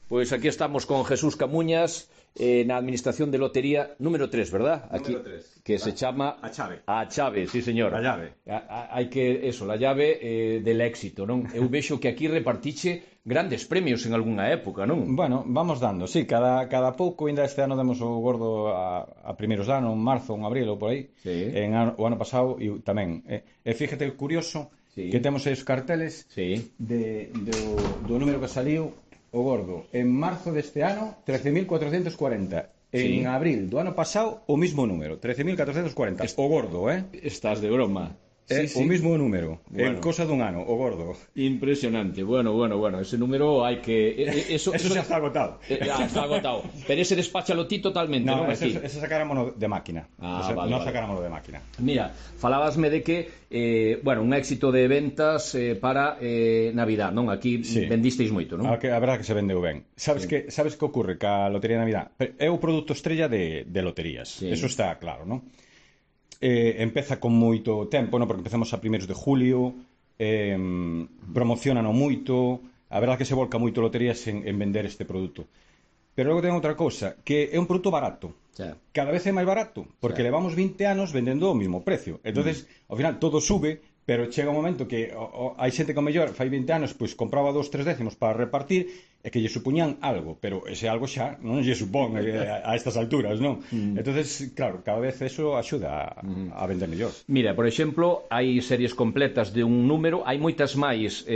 Pois aquí estamos con Jesús Camuñas na Administración de Lotería número 3, verdad? Aquí, número 3. Que se chama A chave. A chave, sí, señor. A llave. Hai que, eso, la llave del éxito, non? Eu vexo que aquí repartiche grandes premios en algunha época, non? Bueno, vamos dando, sí, cada pouco, ainda este ano demos o gordo a primeiros de ano, en marzo, en abril ou por aí. Sí. O ano pasado e tamén. E fíjate, curioso, sí, que temos aí os carteles sí, do número que saliu o gordo en marzo deste ano 13.440, sí, en abril do ano pasado o mismo número 13.440, o gordo, Estás de broma. Sí, Sí. o mismo número, Bueno. en cosa dun ano, o gordo. Impresionante. Bueno, ese número hai que... Eso xa está agotado. Está agotado. Pero ese despáchalo ti totalmente, non? Ese sacáramoslo de máquina. Vale. Sacáramoslo de máquina. Mira, falábasme de que un éxito de ventas para Navidad, non? Aquí sí, vendisteis moito, non? A verdade que se vendeu ben. Sabes que ocurre ca Lotería de Navidad? É o produto estrella de loterías. Sí. Eso está claro, non? Empeza con moito tempo, non? Porque empezamos a primeiros de julio, promocionano moito, a verdade que se volca moito loterías en vender este produto. Pero logo ten outra cousa, que é un produto barato. Sí. Cada vez é máis barato, porque levamos 20 anos vendendo o mismo precio. Entonces, ao final todo sube, pero chega un momento que hai xente que ao mellor fai 20 anos pois compraba 2-3 décimos para repartir e que lle supuñan algo, pero ese algo xa non lle supón a estas alturas, non? Entonces, claro, cada vez eso axuda a vender mellor. Mira, por exemplo, hai series completas de un número, hai moitas máis,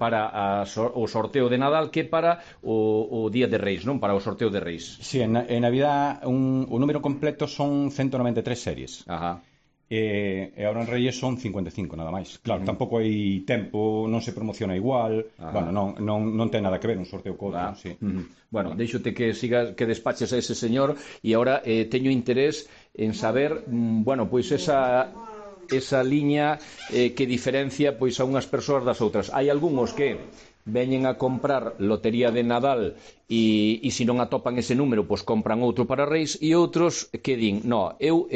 para o sorteo de Nadal que para o Día de Reis, non? Para o sorteo de Reis. Sí, en Navidad o número completo son 193 series. Ajá. E agora en Reyes son 55 nada máis. Claro, tampouco hai tempo, non se promociona igual. Bueno, non ten nada que ver un sorteo co outro, sí. Bueno, deixote que sigas, que despaches a ese señor e agora teño interés en saber, pois esa liña que diferencia pois a unhas persoas das outras. Hai algúns que veñen a comprar lotería de Nadal e se non atopan ese número, pois compran outro para Reis, e outros que din, no, eu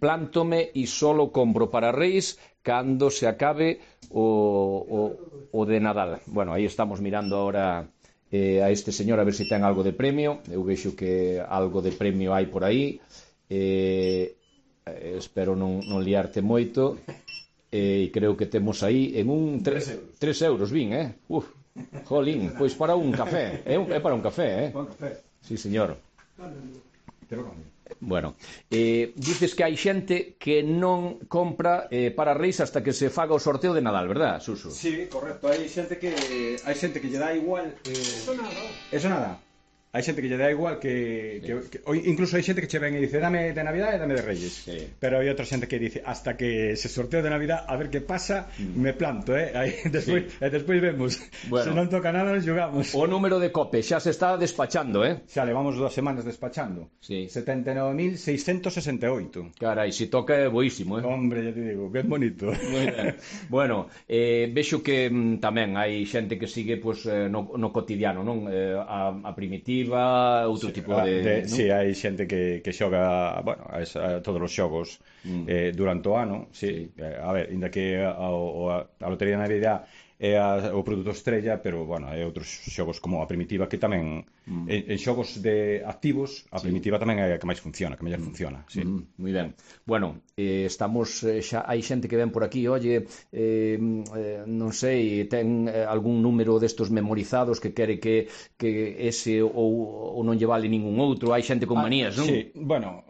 plántome e solo compro para Reis cando se acabe o de Nadal. Bueno, aí estamos mirando ahora a este señor a ver se ten algo de premio. Eu vexo que algo de premio hai por aí. Espero non liarte moito. E creo que temos aí en un 3 euros, vin, jolín, pois para un café, é para un café, Un café. Sí, señor. Te lo cambio. Bueno, dices que hai xente que non compra para Reis hasta que se faga o sorteo de Nadal, verdad, Suso? Sí, correcto, hai xente que lle dá igual Eso nada. Hai xente que lle dá igual que incluso hai xente que che ven e dice dame de Navidad e dame de Reyes. Sí. Pero hai outra xente que dice hasta que se sorteo de Navidad a ver que pasa, me planto, Aí despois vemos. Bueno. Se non toca nada nos xogamos. O número de cope xa se está despachando, Xa levamos 2 semanas despachando. Sí. 79.668. Carai, se toca é boísimo, Hombre, ya te digo, ben bonito. Muy ben. Bueno, vexo que tamén hai xente que sigue no cotidiano, non? A primitiva, outro tipo de... Sí, hai xente que xoga a todos os xogos durante o ano, sí. A ver, inda que a Lotería de Navidad é o produto estrella, pero, hai outros xogos como a primitiva que tamén en xogos de activos a primitiva tamén é a que máis funciona, que mellor funciona, sí. Moi ben. Bueno, estamos xa hai xente que ven por aquí, oye, non sei, ten algún número destos memorizados que quere que ese ou non lle vale ningún outro, hai xente con manías, non? Sí,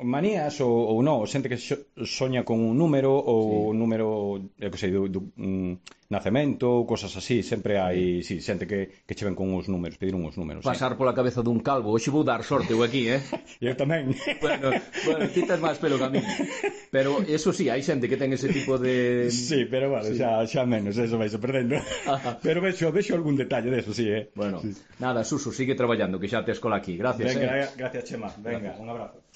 manías ou non, xente que soña con un número ou un número, eu que sei, do nacemento, cosas así, sempre hai xente que che ven con uns números, pedir uns números. Pasar pola cabeza dun calvo, hoxe vou dar sorte eu aquí, Eu tamén. Bueno, ti tes máis pelo que a mí. Pero eso sí, hai xente que ten ese tipo de... Sí, pero xa menos, eso vais perdendo. Pero vexo algún detalle deso, sí, Bueno, nada, Suso, sigue traballando, que xa te escola aquí. Gracias, Venga, gracias, Chema. Venga, un abrazo.